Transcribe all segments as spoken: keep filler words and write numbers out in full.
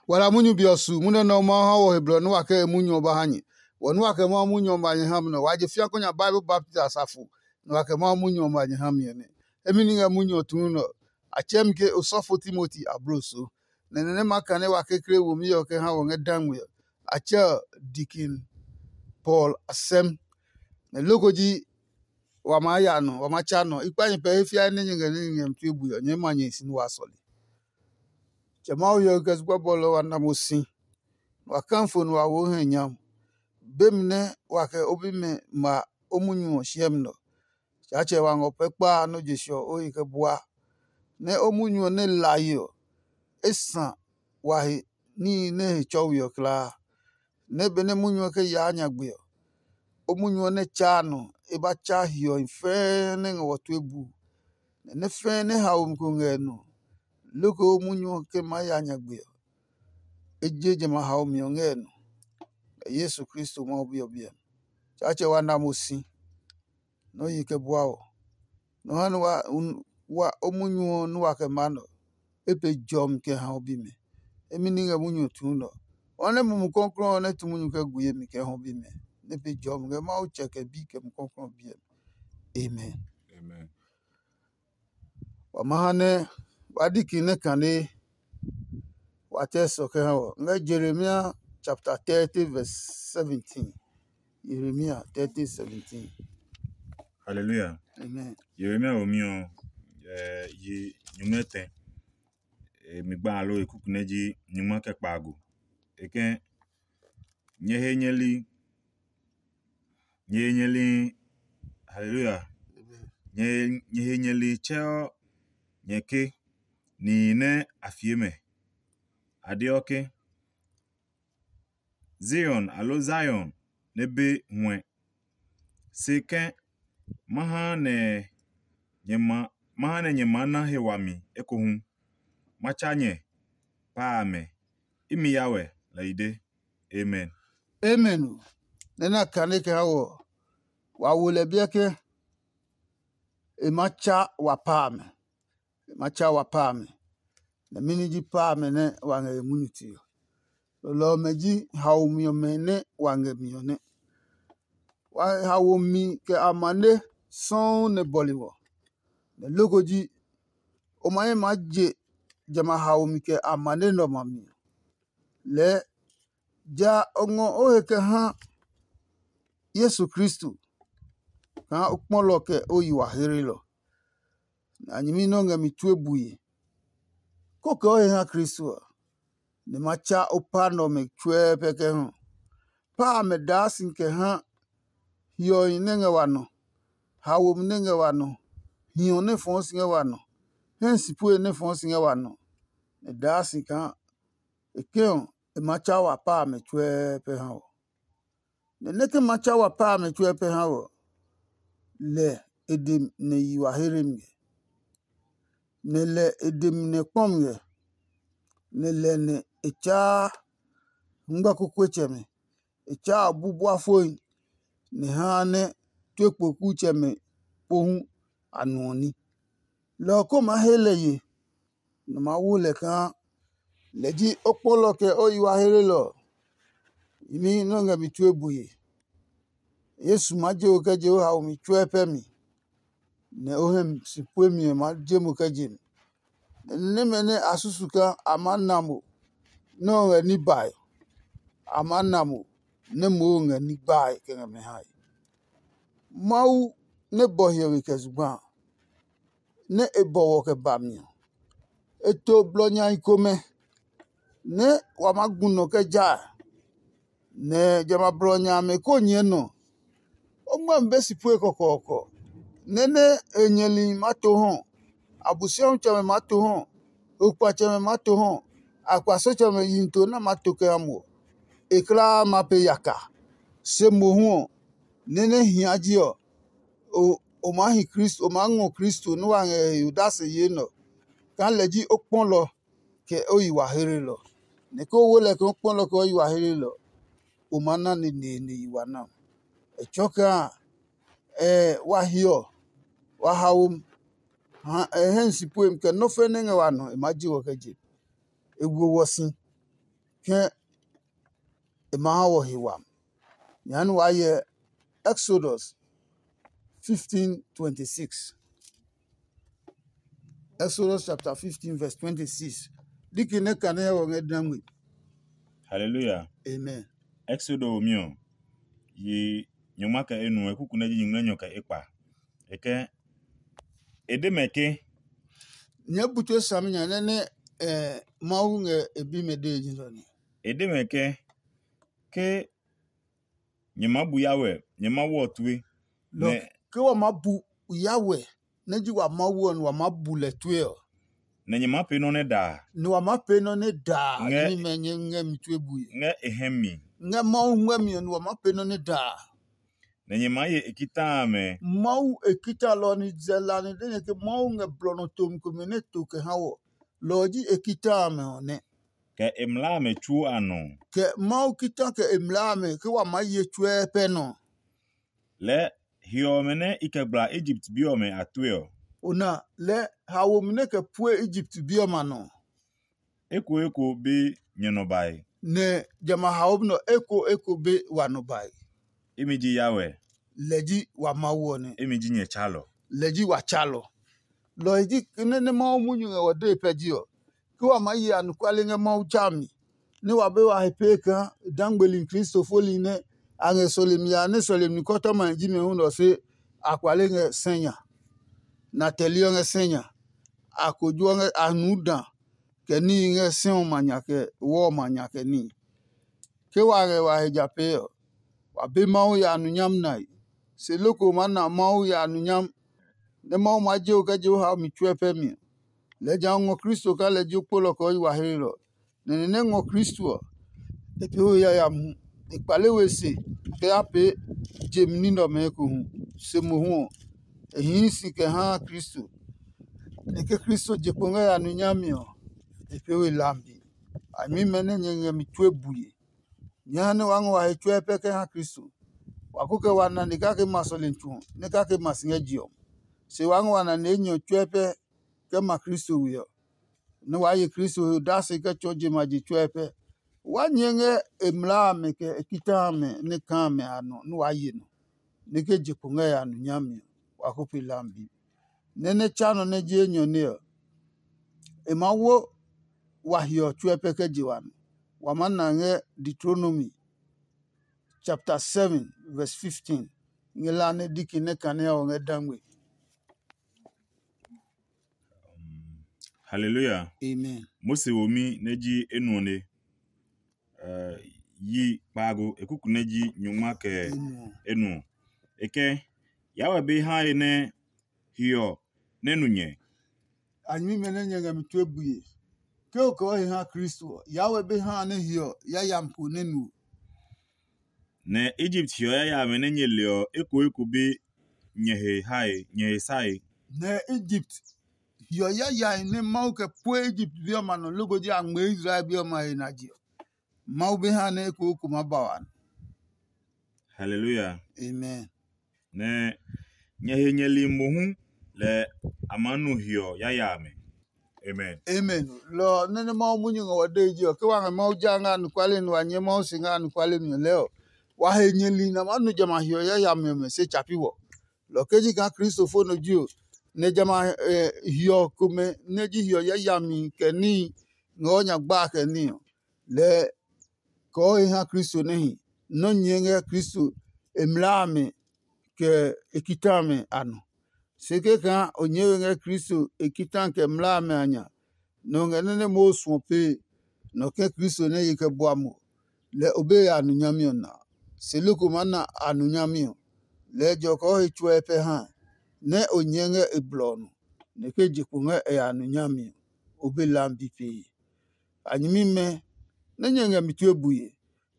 Wa la munyu be ɔ su, munyu nɛ Mawu ha wɔ he blɔ nɛ wa kɛ e munyu ɔ ba ha nyɛ. Wɔ nɛ wa kɛ Mawu munyu ɔ ba nyɛ ha mi nɛ ɔ, wa je fĩa kɔ nya Bible baptist asafo, nɛ wa kɛ Mawu munyu ɔ ba nyɛ ha mi ɔ nɛ. Emi ni ngɛ munyu ɔ tuu nɛ ɔ, a tsɛɛ mi ke osɔfo Timoti abloso. Nɛ nɔ nɛ ma kane wa kekle womi ɔ kɛ ha wɔ ngɛ dangme ɔ, a tsɛ ɔ Dikin Paul asɛm. Nɛ loko ji wa maa ya nɔ, wa ma tsa nɔ. I kpa nyɛ pɛ he fiae nɛ nyɛ ngɛ ní ngɛ mi tue bui ɔ, nyɛɛ ma nyɛ hi si nɛ wa sɔle. Tsɛ Mawu hyɛ kɛ zugba bɔlɔ wa na mo si, wa kafo nɛ wa wo hɛ nyam. Be mi nɛ wa kɛ o bimɛ ma o munyu ɔ siɛmi nɔ. Tsaatsɛ wa ngɔ pɛ kpa a nɔ́ je se ɔ o he kɛ bua, nɛ o munyu ɔ nɛ lae ɔ, e sã wa he níhi nɛ he tsɔwi ɔ kulaa. Nɛ benɛ munyu ɔ kɛ yaa nyagbe ɔ, o munyu ɔ nɛ tsaa nɔ e ba tsa hiɔhi fɛɛ nɛ ngɛ wɔ tue buu, nɛ nɛ fɛɛ nɛ haomi ko ngɛ e nɔ, loko o munyu ɔ ke maa ya nyagbe ɔ, e je jamɛ a haomi ɔ ngɛ e nɔ. Ngɛ Yesu Kristo Mawu Bi ɔ biɛ mi. Tsaatsɛ wa na mo si, nɛ o yi kɛ bua ɔ. Nɔ ha nɛ wa, wa o munyu ɔ nɛ wa kɛ maa nɛ ɔ, e pe jɔmi kɛ ha o bimɛ. Emi ní ngɛ munyu ɔ tuu nɛ ɔ. Wa nɛ Mumi Klɔuklɔu ɔ nɛ tu munyu kɛ gu yemi kɛ ha o bimɛ, nɛ pe jɔmi ngɛ Mawu Tsɛ kɛ Bi kɛ Mumi Klɔuklɔu ɔ biɛ mi. Amen. Amen. Wa ma ha nɛ wa diki nɛ kane wa tɛ sɔ kɛ ha wɔ. Ngɛ Jeremia chapter thirty verse seventeen. Jeremia thirty seventeen. Hallelujah. Amen. Jeremia womi ɔ, eh, yi nyumu etɛ. Eh, mi gba alo e kuku nɛ ji nyuma kɛ kpaago. E kɛ nyɛ he nyɛ li, nyɛ he nyɛ li, hallelujah. Nyɛ, nyɛ he nyɛ li tsɛɔ nyɛ ke nihi nɛ a fie mɛ. A deɔ ke, Zion, aloo Zion nɛ be huɛ. Se kɛ̃, ma ha nɛ nyɛ ma ma ha nɛ nyɛ maa na he wami ekohu. Ma tsa nyɛ pa amɛ. Imi ya wɛ, lɛ i de. Amen. Amen. Nɛ na kane kɛ ha wɔ, wa wo lɛ biɛ ke e ma tsa wa pa amɛ. E ma tsa wa pa amɛ. Nɛ mɛni ji pa amɛ nɛ wa ngɛ he munyu ti ɔ? Lɔlɔ ɔmɛ ji haomi ɔmɛ nɛ wa ngɛ mi ɔ nɛ. Wa haomi kɛ amane sɔuu nɛ bɔle wɔ. Nɛ loko ji, o ma he maa je jamɛ a haomi kɛ amane nɛ ɔmɛ a mi ɔ. Lɛɛ ja o ngɔ o he kɛ ha Yesu Kristo kaa o kpɔlɔ kɛ o yi wa heelɔ. Nɛ a nyɛmi nɛ o ngɛ mi tue bue. Kó kɛ o he ha Kristo ɔ, nɛ ma tsa o pa nɛ ɔmɛ tsuɛɛ pɛ kɛ ha. Pa amɛ daa si kɛ ha hiɔhi nɛ ngɛ wa nɔ, haomi nɛ ngɛ wa nɔ, hiɔ nɛ fɔɔ si ngɛ wa nɔ, hɛ si pue nɛ fɔɔ si ngɛ wa nɔ, nɛ daa si kaa e kɛ ɔ, e ma tsa wa pa amɛ tsuɛɛ pɛ ha ɔ. Nɛ nɛ ke ma tsa wa pa amɛ tsuɛ pɛ ha ɔ, lɛ e de mi nɛ yi wa here mi ngɛ. Nɛ lɛ e de mi nɛ kpɔ mi ngɛ. Nɛ lɛ nɛ e tsaa ngba kukuetsɛmɛ, e tsaa bu bua fohi, nɛ haa nɛ tue kpokutsɛmɛ pohu a nuɔ ní. Lɔ ɔ ko maa he lɛ ye, nɛ ma wo lɛ kaa lɛ ji o kpɔlɔ kɛ o yi wa helelɔ ɔ. Imi nɛ o ngɛ mi tue bue. Yesu maa je o kɛ je o haomi tsuɛ pɛ mi, nɛ o hɛ si pue mi ɔ maa je mo kɛ je mi. Nɛ nɛmɛ nɛ a susu kaa a maa na mo nɛ o ngɛ ní bae, a maa na mo nɛ moo ngɛ ní gbae kɛ ngɛ mɛ hae. Mawu nɛ bɔ hiɔwe kɛ zugba a, nɛ e bɔ wɔ kɛ ba mi ɔ, e to blɔ nyai komɛ nɛ wa maa gu nɔ kɛ ja a, nɛ jamɛ a blɔ nya amɛ ko nyɛɛ nɔ. O ngmɛmi be si pue kɔkɔɔkɔ, nɛ nɛ e nyɛli maa to hɔ, Abosiami tsɛmɛ maa to hɔ, okpatsɛmɛ maa to hɔ, akpasetsɛmɛ yihi to nɛ a maa to kɛ ha mo ɔ, e kulaa ma pe yaka. Se mohu ɔ, nɛ nɛ hia ji ɔ, o o maa hi Kristo, o maa ngɔ Kristo nɛ wa ngɛ he odase yee nɛ ɔ, kaa lɛ ji o kpɔlɔ kɛ o yi wa heelelɔ. Nɛ ke o wo lɛ kaa o kpɔlɔ kɛ o yi wa heelelɔ, o maa na neneene yi wa na. E tsɔɔ kaa ɛ wa hiɔ, wa haomi, ha ɛ hɛ si puemi kɛ nɔ́ fɛ́ nɛ ngɛ wa nɔ e maa ji wɔ kɛ je. E wo wɔ si. ke e ma ha wɔ he wami. Jehanɛ waa hyɛ Exodus fifteen twenty-six. Exodus chapter fifteen verse twenty-six. Diki nɛ kane ɔ ngɛ dangwe. Hallelujah. Amen. Exodo mi ɔ, yi nyɔngma kɛ enu ekuku nɛ ji nyingmlɛnyɔ kɛ ekpa. E kɛ e de mɛ ke, Nyɛ bu tue sami nya nɛ nɛ eh, Mawu ngɛ e bi mɛ dee ji lɔ nɛ. e de mɛ ke, ke nyɛ ma bu Yahweh, nyɛ ma wɔ tue. Lɔ ke wa ma bu Yahweh nɛ ji wa Mawu ɔ nɛ wa ma bu lɛ tue ɔ, Nɛ nyɛ ma pee nɔ́ nɛ daa. Nɛ wa ma pee nɔ nɛ daa Ngɛ- ni mɛ nyɛ ngɛ mi tue bue. Ngɛ e hɛ mi. Ngɛ Mawu ngɛ mi ɔ nɛ wa ma pee nɔ nɛ daa. Nɛ nyɛ ma ye e kita amɛ. Mawu e kita lɔ ni zɛ la ni de nyɛ ke Mawu ngɛ blɔ nɔ tomi komɛ nɛ to kɛ ha wɔ. Lɔ ɔ ji e kita amɛ ɔ nɛ. Kɛ e mlaa amɛ tsuo a nɔ. Kɛ Mawu kita kɛ e mlaa amɛ ke wa maa ye tsuɛ pɛ nɔ. Lɛɛ hiɔ ɔmɛ nɛ i kɛ gbla Egipt bi ɔmɛ a tue ɔ. O na lɛ hawo mi nɛ kɛ pue Egipt bi ɔmɛ a nɔ. Eko eko be nyɛ nɔ bae. Nɛ jamɛ a hawo nɔ eko eko be wa nɔ bae. Imi ji Yahweh. Lɛ ji wa Mawu ɔ nɛ. Imi ji nyɛ tsalɔ. Lɛ ji wa tsalɔ. Lɔ ɔ ji nɛ nɛ Mawu munyu ngɛ wɔ dee pɛ ji ɔ, ke wa maa ye anɔkuale ngɛ Mawu tsa mi, nɛ wa be wa he pee kaa dangbeli kristofoli nɛ a ngɛ sɔlemi ya nɛ sɔlemi kɔtɔma ji mɛ hu nɔ se a kpale ngɛ sɛ nya, na tɛli ɔ ngɛ sɛ nya, a kojo ɔ ngɛ a nu da kɛ níhi ngɛ sɛ ɔ ma nya kɛ wɔ ɔ ma nya kɛ níhi. Ke wa ngɛ wa he ja pee ɔ, wa be Mawu ya numunyam nae. Se loko maa na Mawu ya numunyam nɛ Mawu maa je o kɛ je o hao mi tsuɛ pɛ mi ɔ, lɛɛ ja o ngɔ Kristo kaa lɛ ji o kpolɔ kɛ o yi wa hlelɔ. Nɛ ni nɛ ngɔ Kristo ɔ, e pee we yayami hu. E kpale we se kɛ ya pee je mi ní nɛ ɔmɛ ekohu. Se mohu ɔ, e hii si kɛ haa Kristo. Nɛ ke Kristo je kpo ngɛ ya numunyami ɔ, e pee we lambi. A nyɛmimɛ nɛ nyɛ ngɛ mi tue bue. Nyɛ ha nɛ waa ngɔ wa he tsuɛ pɛ kɛ ha Kristo. Wa ko kɛ wa nane kake ma sɔlemi tsu ɔ, nɛ kake ma si ngɛ je ɔ. Se waa ngɔ wa nane enyɔ tsuɛ pɛ kɛ ma Kristo we ɔ, nɛ waa ye Kristo he odase kɛ tsɔɔ je ma je tsuɛ pɛ. Waa nyɛɛ ngɛ e mlaa amɛ kɛ e kita amɛ nɛ kaa amɛ a nɔ nɛ waa ye nɔ, nɛ ke je kpo ngɛ ya nu nyami ɔ, wa ko pe lambi. Nɛ nɛ tsa nɔ nɛ ji enyɔ nɛ ɔ, e maa wo wa hiɔ tsuɛ pɛ kɛ je wa nɔ. Wa maa na ngɛ Deuteronomy chapter seven verse fifteen. Ngɛ la nɛ diki nɛ kane ɔ ngɛ dangwe. Hallelujah. Amen. Mose womi nɛ ji enuɔ ne. Uh, yi kpaago ekuku nɛ ji nyɔngma kɛ Enuɔ. enuɔ. E kɛ Yahweh be ha ye nɛ hiɔ nɛ nu nyɛ. A nyɛmimɛ nɛ nyɛ ngɛ mi tue bue. Ke o kɛ o he ha Kristo ɔ, Yahweh be ha nɛ hiɔ yayami ko nɛ nu o. Nɛ Egypt hiɔ yayami nɛ nyɛ le ɔ eko eko be nyɛ he hae, nyɛ he sae. Nɛ Egypt hiɔ yayami nɛ Mawu kɛ pue Egypt bi ɔmɛ a nɔ loko ji a ngmɛɛ Israel bi ɔmɛ a he na je ɔ, Mawu be ha nɛ eko eko maa ba wa nɔ. Hallelujah. Amen. Nɛ nyɛ he nyɛ li mohu lɛ a maa nu hiɔ yayami. Amen. Amen. Lɔ nɛ nɛ Mawu munyu ngɛ wɔ dee ji ɔ, ke wa ngɛ Mawu ja ngɛ anɔkuale nɛ wa nyɛ Mawu si ngɛ anɔkuale mi ɔ lɛɛ ɔ, wa he nyɛ li nɛ a maa nu jamɛ a hiɔ yayami ɔmɛ se tsa pi wɔ. Lɔ ke ji kaa Kristofo nɔ ji ɔ, nɛ jamɛ a hiɔ komɛ nɛ ji hiɔ yayami kɛ níhi ngɛ o nya gba kɛ ní ɔ, lɛɛ kɔɔ he ha Kristo nɛ hi. Nɔ́ nyɛɛ ngɛ Kristo e mlaa amɛ kɛ e kita amɛ a nɔ. Se kɛkaa o nyɛɛ we ngɛ Kristo e kita kɛ mlaa amɛ a nya, nɔ ngɛ nɛ nɛ Mawu suɔ pee, nɔ kɛ Kristo nɛ ye kɛ bua mo, lɛ o be ya a nu nyami ɔ na. Se loko maa na a nu nyami ɔ, lɛɛ jɔkɔɔ he tsuɛ pɛ ha nɛ o nyɛɛ ngɛ e blɔ ɔ nɔ, nɛ ke je kpo ngɛ e ya a nu nyami ɔ, o be lambi pee. A nyɛmimɛ nɛ nyɛ ngɛ mi tue bue,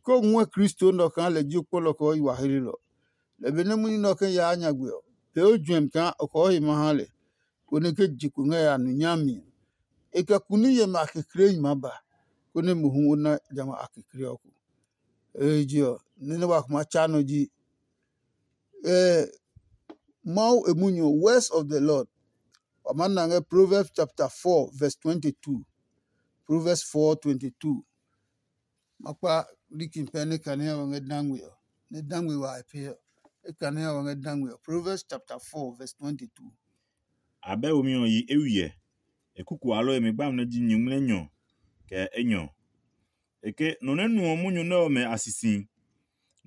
ke o ngɔɛ Kristo nɛ ɔ kaa lɛ ji o kpɔlɔ kɛ o yi wa hlelɔ. Lɛ benɛ munyu nɛ ɔ kɛ yaa nyagbe ɔ, pee o juɛmi kaa o kɔɔ he ma ha lɛ, konɛ ke je kpo ngɛ ya nu nyami ɔ, e kɛ kuni yɛmɛ a keklehi maa ba, konɛ mohu o na jamɛ a kekle ɔ ko. Ehe je ɔ, nɛ nɛ wa kuma tsa nɔ ji eh, Mawu e munyu ɔ, words of the Lord. Wa maa na ngɛ Proverbs chapter four verse twenty-two. Proverbs four twenty-two. Ma kpa likin pɛ nɛ kane ɔ ngɛ dangwe ɔ, nɛ dangwe wa e pee ɔ. E kane ɔ ngɛ dangwe ɔ. Proverbs chapter four verse twenty-two. Abɛ womi ɔ yi eywiɛ. E kuku alo e mi gbami nɛ ji nyingmlɛnyɔ kɛ enyɔ. E ke nɔ nɛ nuɔ munyu nɛ ɔmɛ a sisi.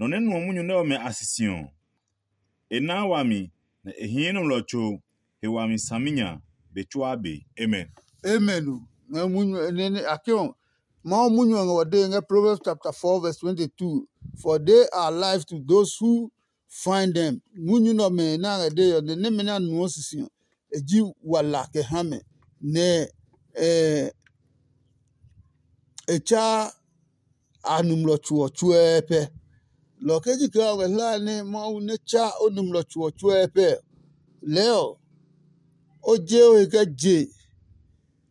Nɔ nɛ nuɔ munyu nɛ ɔmɛ a sisi ɔ, e naa wami, nɛ e hii nɔmlɔ tso he wami saminya be tsuaa be. Amen. Amen o. Ngɛ munyu nɛ a ke ɔ, Mawu munyu ɔ ngɛ wɔ dee ngɛ Proverbs chapter four verse twenty-two. For they are life to those who find them. Munyu nɛ ɔmɛ nɛ a ngɛ dee ɔ, nɛ nɛmɛ nɛ a nuɔ sisi ɔ, e ji wala kɛ ha mɛ, nɛ e tsa a numlɔ tso ɔ tsuɛɛpɛ. Lɔ kɛ ji kaa o ngɛ hlae nɛ Mawu nɛ tsa o numlɔ tso ɔ tsuɛɛpɛ, lɛɛ ɔ, o je o he kɛ je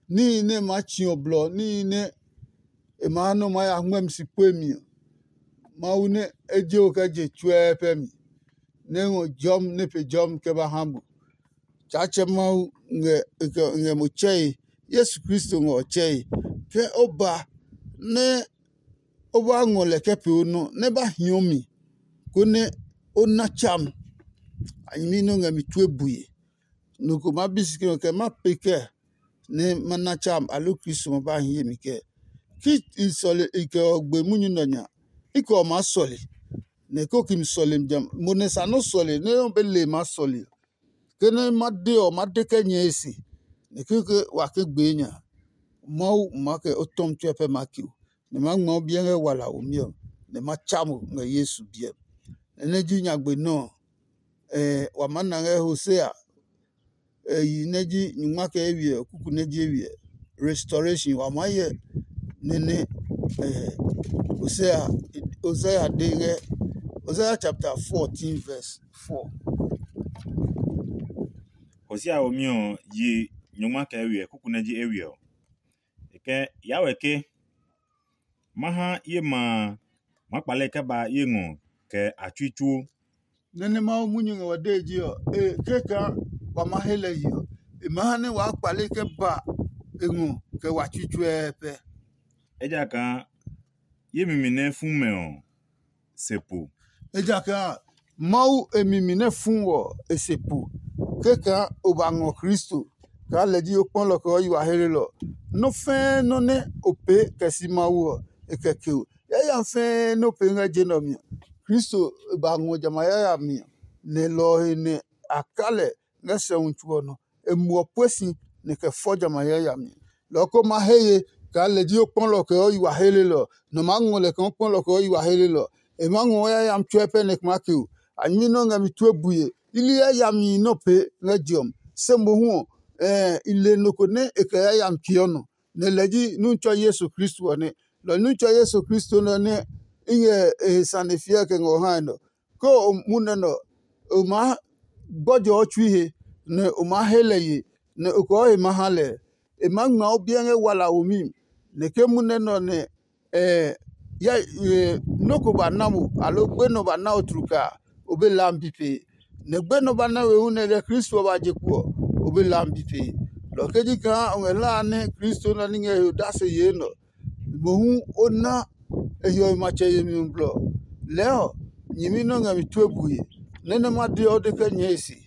níhi nɛ e maa tsi ɔ blɔ, níhi nɛ e maa nɔ maa ya ngmɛmi si pue mi ɔ, Mawu nɛ e je o kɛ je tsuɛɛpɛ mi, nɛ e ngɔ jɔmi nɛ e pe jɔmi kɛ ba ha mo. Tsaatsɛ Mawu ngɛ ngɛ mo tsɛe, Yesu Kristo ngɛ o tsɛe. Ke o ba nɛ o ba ngɔ lɛ kɛ pee o nɔ, nɛ ba hiɔ mi, konɛ o na tsa mi. A nyɛmi nɛ o ngɛ mi tue bue. Nɔ ko ma bi si ke ɔ kɛ ma pee kɛ nɛ ma na tsa mi, aloo Kristo ma ba hi ye mi kɛ? Ki i sɔle i kɛ ɔ gbe munyu nɛ nya, i kɛ ɔ maa sɔle, nɛ ko ki mi sɔle jamɛ. Mo nɛ sa nɔ́ sɔle nɛ nɔ́ be le ma sɔle ɔ, ke nɛ ma de ɔ, ma de kɛ nyɛe se, nɛ keke wa ke gbee nya. Mawu ma kɛ o tɔmi tsuɛ pɛ ma ki o, nɛ ma ngma o biɛ ngɛ wala womi ɔ, nɛ ma tsa mo ngɛ Yesu biɛ. Nɛ nɛ ji nyagbe nɔ ɔ, wa maa na ngɛ Hosea yi nɛ ji nyungma kɛ eywiɛ kuku nɛ ji eywiɛ, restoration, wa maa hyɛ nɛnɛ. Hosea Hosea de ngɛ Hosea chapter fourteen verse four. Hosea womi ɔ yi nyungma kɛ eywiɛ kuku nɛ ji eywiɛ ɔ. E kɛ ya wɛ ke, ma ha ye ma a, ma kpale kɛ ba ye ngɔ kɛ a tsui tsuo. Nɛ nɛ Mawu munyu ngɛ wa dee ji ɔ, e keka wa ma he lɛ yi ɔ, e ma ha nɛ waa kpale kɛ ba e ngɔ kɛ wa tsui tsuɛɛpɛ. Ejakaa ye mimi nɛ fu mɛ ɔ, se po. Ejakaa Mawu e mi mi nɛ fu ɔ e se po, kɛkaa o ba ngɔ Kristo kaa lɛ ji o kpɔlɔ kɛ o yi wa helelɔ. Nɔ́ fɛ́ɛ́ nɔ́ nɛ o pee kɛ si Mawu ɔ, e kɛ ke o. Yayami fɛ́ɛ́ nɛ o pee ngɛ je nɛ ɔ mi ɔ, Kristo e ba ngɔ jamɛ a yayami ɔ, nɛ lɔ ɔ he nɛ a ka lɛ ngɛ sɛumi tso ɔ nɔ. E muɔ pue si nɛ kɛ fɔ jamɛ a yayami. Lɔ ko ma he ye kaa lɛ ji o kpɔlɔ kɛ o yi wa helelɔ. Nɔ maa ngɔ lɛ kaa o kpɔlɔ kɛ o yi wa helelɔ. E maa ngɔ o yayami tsuɛ pɛ nɛ e kɛ maa ke o. A nyɛmi nɛ o ngɛ mi tue bue. I li yayami nɛ o pee ngɛ je ɔ mi. Se mohu ɔ, i le nɔ ko nɛ e kɛ yayami peeɔ nɔ, nɛ lɛ ji Nutsɔ Yesu Kristo ɔ nɛ. Lɔ Nutsɔ Yesu Kristo nɛ ɔ nɛ i ngɛ e he sane fiɛ kɛ ngɛ o hae nɛ ɔ. Ke o mu nɛ nɛ ɔ, o maa gbɔjɔɔ tsui he, nɛ o maa he lɛ ye, nɛ o kɔɔ he ma ha lɛ. E maa ngma o biɛ ngɛ wala womi mi, nɛ ke mu nɛ nɛ ɔ nɛ nɔ́ ko ba na mo, aloo gbenɔ ba na o tlukaa, o be laami bi pee. Nɛ gbenɔ ba na we hu nɛ lɛ Kristo ɔ ba je kpo ɔ, o be laami bi pee. Lɔ kɛ ji kaa o ngɛ hlaa nɛ Kristo nɛ ní ngɛ he odase yee nɛ ɔ, mohu o na e hiɔwe matsɛ yemi ɔ blɔ. Lɛɛ ɔ, nyɛmi nɛ o ngɛ mi tue bue, nɛ nɛ ma de ɔ, o de kɛ nyɛɛ e se.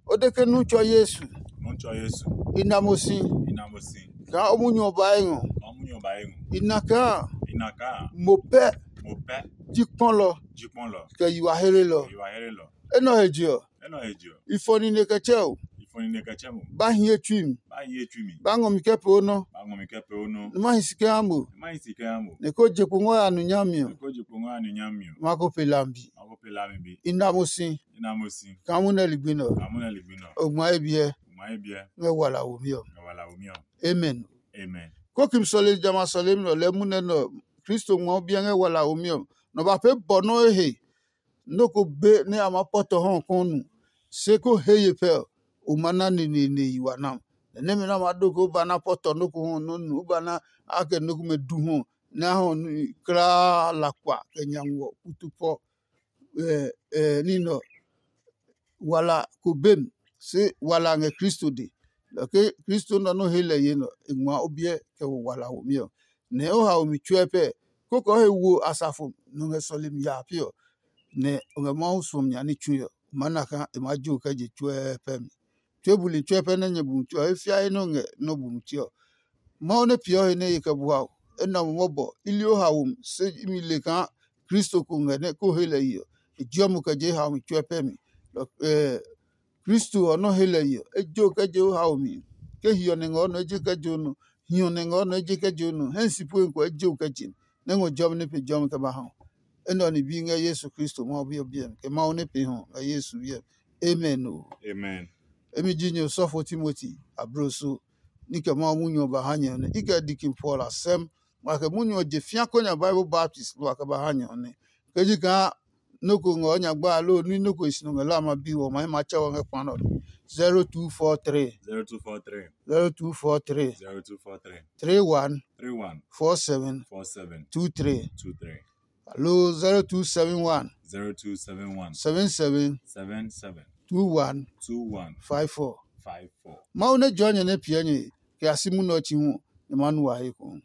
O de ke Nutsɔ Yesu, Nutsɔ Yesu, i na mo si, i na mo si, kaa o munyu ɔ ba e ngɔ. Kaa o munyu ɔ ba e ngɔ. I na kaa I na kaa mo pɛ mo pɛ ji kpɔlɔ ji kpɔlɔ kɛ yiwa helelɔ. Yiwa helelɔ. Enɛ ɔ he je ɔ, Enɛ ɔ he je ɔ, i fɔ nine kɛ tsɛ o, i fɔ nine kɛ tsɛ mo. Ba hie tsui mi, Ba hie tsui mi, ba ngɔ mi kɛ pee o nɔ, Ba ngɔ mi kɛ pee o nɔ. Nɛ ma hi si kɛ ha mo, Nɛ ma hi si kɛ ha mo. Nɛ ko je kpo ngɔ ya nu nyami ɔ, Nɛ ko je kpo ngɔ ya nu nyami ɔ. Ma ko pe lambi. Ma ko pe lambi. I na mo si, I na mo si. Kaa mu nɛ ligbi nɛ ɔ, Kaa mu nɛ ligbi nɛ ɔ. O ngma ye biɛ. O ngma ye biɛ. Ngɛ wala womi ɔ. Ngɛ wala womi ɔ. Amen. Amen. Ko kim sɔle jamɛ a sɔlemi nɛ ɔ lɛɛ munɛ nɛ ɔ, Kristo ngma o biɛ ngɛ wala womi ɔ. Nɔ ba pee bɔ nɔ́ he. Nɔ́ ko be nɛ a maa pɔtɔ hɔ ɔ kɔn nu, se ko he ye pɛ ɔ, o ma na neneene yi wa nam. Nɛ nɛmɛ nɛ a maa do ko ba na pɔtɔ nɔ́ ko hɔ nɔ́ nu, o ba na a kɛ nɔ́ komɛ du hɔ nɛ a hɔ nu klaa lakpa kɛ nya ngɔ kutu pɔ. Ɛ ɛ ní nɛ ɔ, wala ko be mi, se wala ngɛ Kristo dɛ. Lɔ ke Kristo nɛ ɔ nɔ́ he lɛ ye nɛ ɔ, e ngma o biɛ kɛ wo wala womi ɔ. Nɛ o haomi tsuɛ pɛ koko he wo asafo nɔ ngɛ sɔlemi ya pi ɔ, nɛ o ngɛ Mawu suɔmi nya ní tsui ɔ, o maa na kaa e maa jo kɛ je tsuɛ pɛ mi. Tue buli tsuɛ pɛ nɛ nyɛ bu tsuɛ ɔ, e fia he nɛ o ngɛ nɔ́ bu tue ɔ. Mawu nɛ peeɔ he nɛ e kɛ bua o, enɛ ɔ mɔbɔ i li o haomi, se imi le kaa Kristo ko ngɛ nɛ ko he lɛ yi ɔ, e jeɔ mo kɛ je haomi tsuɛ pɛ mi. Kristo ɔ nɔ́ he lɛ yi ɔ, e jo kɛ je o haomi. Ke hiɔ nɛ ngɛ o nɔ, e je kɛ je o nɔ. Hiɔ nɛ ngɛ o nɔ, e je kɛ je o nɔ. Hɛ si pue ko e je o kɛ je, nɛ ngɔ jɔmi nɛ pe jɔmi kɛ ba ha o. Enɛ ɔ ni bi ngɛ Yesu Kristo Mawu Bi ɔ biɛ mi, kɛ Mawu nɛ pe hɔ ngɛ Yesu biɛ mi. Amen o. Amen. Emi ji nyɛ osɔfo Timoti abloso, ní kɛ Mawu munyu ɔ ba ha nyɛ ɔ nɛ i kɛ Dikin Paul a sɛm, wa kɛ munyu ɔ je fia kɔ nya Bible baptist wa kɛ ba ha nyɛ ɔ nɛ. Ke ji kaa nɔ́ ko ngɛ o nyagba a loo ní nɔ́ ko e si nɔ ngɛ la ma bi wɔ ma ma tsɛ wɔ ngɛ kpa nɔ. zero two four three zero two four three zero two four three zero two four three three one three one four seven four seven two three two three alo zero two seven one zero two seven one seven seven seven seven two one two one five four. Five four. Mawu nɛ jua nyɛ nɛ piɛ nyɛ kɛ a si munɛ ɔ tsi hu, nyɛ ma nu wa he ko.